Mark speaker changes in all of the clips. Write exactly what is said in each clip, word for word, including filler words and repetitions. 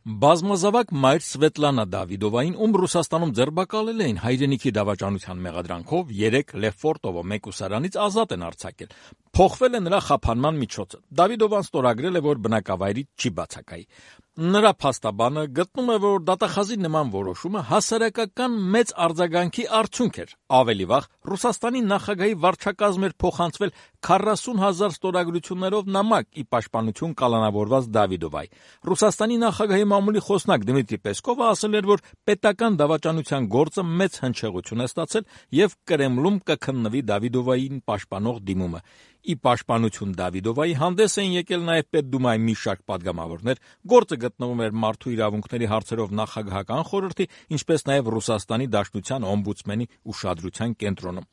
Speaker 1: Բազմազավակ մայր Սվետլանա Դավիդովային, ում Ռուսաստանում ձերբակալել էին հայրենիքի դավաճանության մեղադրանքով, երեկ Լեֆորտովո մեկուսարանից ազատ են արձակել։ Փոխվել է նրա խափանման միջոցը։ Դավիդովան ստորագրել է, որ բնակավայրից չի բացակայի։ Նրա փաստաբանը գտնում է, որ դատախազի նման որոշումը հասարակական մեծ արձագանքի արդյունք էր։ Ավելի վաղ Ռուսաստանի նախագահի վարչակազմ էր փոխանցվել քառասուն հազար ստորագրություններով նամակ ի պաշտպանություն կալանավորված Դավիդովայի։ Ռուսաստանի նախագահի մամուլի խոսնակ Դմիտրի Պեսկովը ասել էր, որ պետական դավաճանության գործը մեծ հնչեղություն է ստացել եւ Կրեմլում կքննվի Դավիդովային պաշտպանող դիմումը։ Ի պաշտպանություն Դավիդովայի հանդես էին եկել նաև Պետդումայի մի շարք պատգամավորներ, գործը գտնվում էր Մարդու իրավունքների հարցերով նախագահական խորհրդի, ինչպես նաև Ռուսաստանի Դաշնության օմբուդսմենի ուշադրության կենտրոնում։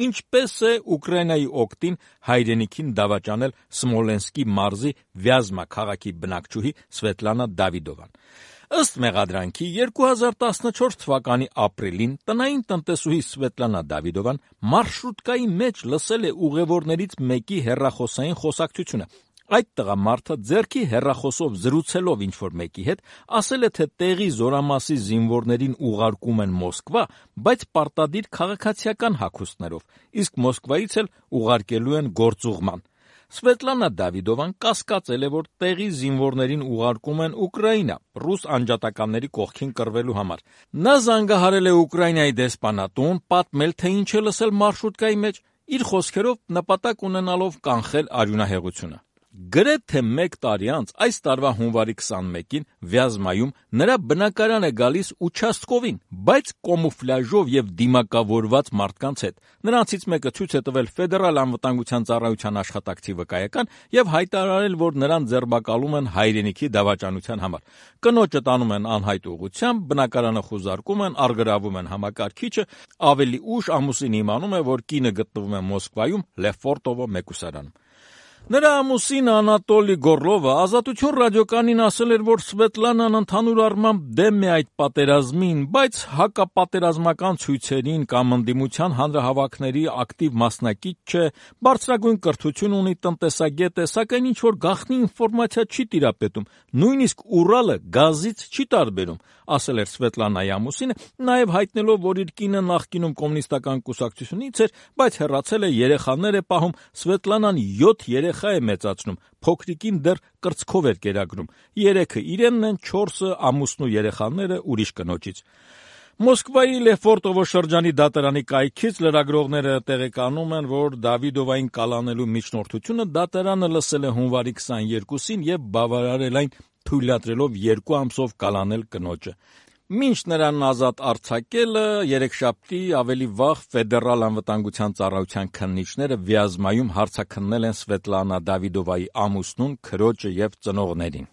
Speaker 1: Ինչպես է Ուկրաինայի օգտին հայրենիքին դավաճանել Սմոլենսկի մարզի Վյազմա քաղաքի բնակչուհի Սվետլանա Դավիդովան։ Ըստ մեղադրանքի երկու հազար տասնչորս թվականի ապրիլին տնային տնտեսուհի Սվետլանա Դավիդովան մարշրուտկայի մեջ լսել է ուղևորներից մեկի հեռախոսային խոսակցությունը։ Այդ տղամարդը ձեռքի հեռախոսով զրուցելով ինչ-որ մեկի հետ, ասել է, թե տեղի զորամասի զինվորներին ուղարկում են Մոսկվա, բայց պարտադիր քաղաքացիական հագուստներով, իսկ Մոսկվայից էլ ուղարկելու են գործուղման։ Սվետլանա Դավիդովան կասկածել է, որ տեղի զինվորներին ուղարկում են Ուկրաինա, ռուս անջատականների կողքին կռվելու համար։ Նա զանգահարել է Ուկրաինայի դեսպանատուն, պատմել, թե ինչ է լսել մարշրուտկայի մեջ, իր խոսքերով նպատակ ունենալով կանխել արյունահեղությունը։ Գրեթե մեկ տարի անց, այս տարվա հունվարի քսանմեկին Վյազմայում նրա բնակարան է գալիս участковին, բայց կոմուֆլյաժով եւ դիմակավորված մարդկանց հետ։ Նրանցից մեկը ցույց է տվել Ֆեդերալ անվտանգության ծառայության աշխատակցի վկայական եւ հայտարարել, որ նրան ձերբակալում են հայրենիքի դավաճանության համար։ Կնոջը տանում են անհայտ ուղղությամբ, բնակարանը խուզարկում են, առգրավում են համակարգիչը, ավելի ուշ ամուսինը իմանում է, որ կինը գտնվում է Մոսկվայում Լեֆորտովո մեկուսարանում։ Նրա ամուսին Անատոլի Գորլովը Ազատություն ռադիոկայանին ասել էր, որ Սվետլանան ընդհանուր առմամբ դեմ է այդ պատերազմին, բայց հակապատերազմական ցույցերին կամ ընդդիմության հանրահավաքների ակտիվ մասնակից չէ, բարձրագույն կրթություն ունի, տնտեսագետ է, սակայն ինչ-որ գաղտնի ինֆորմացիա չի տիրապետում, նույնիսկ Ուրալը գազից չի տարբերում, ասել էր Սվետլանայի ամուսինը, նաև հայտնելով, որ իր կինը նախկինում կոմունիստական կուսակցությունից էր, բայց հեռացել է, երեխաներ է պահում, Սվետլանան յոթ երեխա է մեծացնում, փոքրիկին դեռ կրծքով էր կերակրում, երեքը իրենն են, չորսը ամուսնու երեխաները ուրիշ կնոջից։ Մոսկվայի Լեֆորտովո շրջանի դատարանի կայքից լրագրողները տեղեկանում են, որ Դավիդովային կալանելու միջնորդությունը դատարանը լսել է հունվարի քսաներկուսին եւ բավարարել այն, թույլատրելով երկու ամսով կալանել կնոջը։ Մինչ նրան ազատ արձակելը երեքշաբթի ավելի վաղ Ֆեդերալ անվտանգության ծառայության քննիչները Վյազմայում հարցաքննել են Սվետլանա Դավիդովայի ամուսնուն, քրոջը եւ ծնողներին։